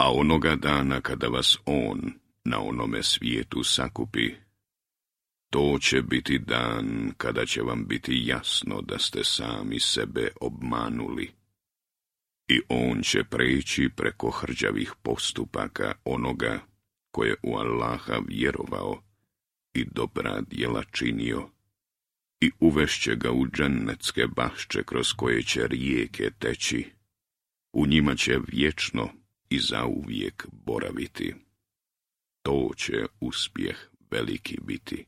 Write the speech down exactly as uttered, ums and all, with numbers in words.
A onoga dana kada vas on na onome svijetu sakupi, to će biti dan kada će vam biti jasno da ste sami sebe obmanuli. I on će preći preko hrđavih postupaka onoga ko je u Allaha vjerovao i dobra djela činio, i uvešće ga u džennetske bašče kroz koje će rijeke teći, u njima će vječno i zauvijek boraviti. To će uspjeh veliki biti.